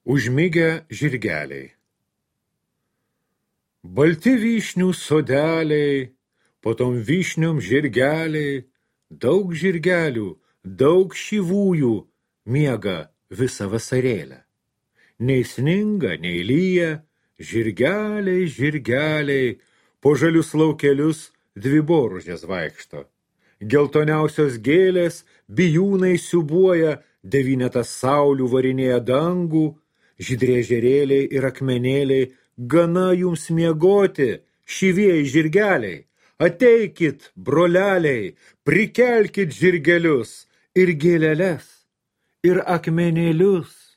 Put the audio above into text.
Užmigę žirgeliai. Balti vyšnių sodeliai, po tom vyšniom žirgeliai, daug žirgelių, daug šyvųjų miega visą vasarėlę. Nei sninga, nei lyja, žirgeliai, žirgeliai, po žalius laukelius dviboružės vaikšto. Geltoniausios gėlės bijūnai siubuoja, devynetas saulių varinėja dangų, žydrė žerėliai ir akmenėliai, gana jums miegoti, šyvieji žirgeliai, ateikit, broleliai, prikelkit žirgelius ir gėleles, ir akmenėlius.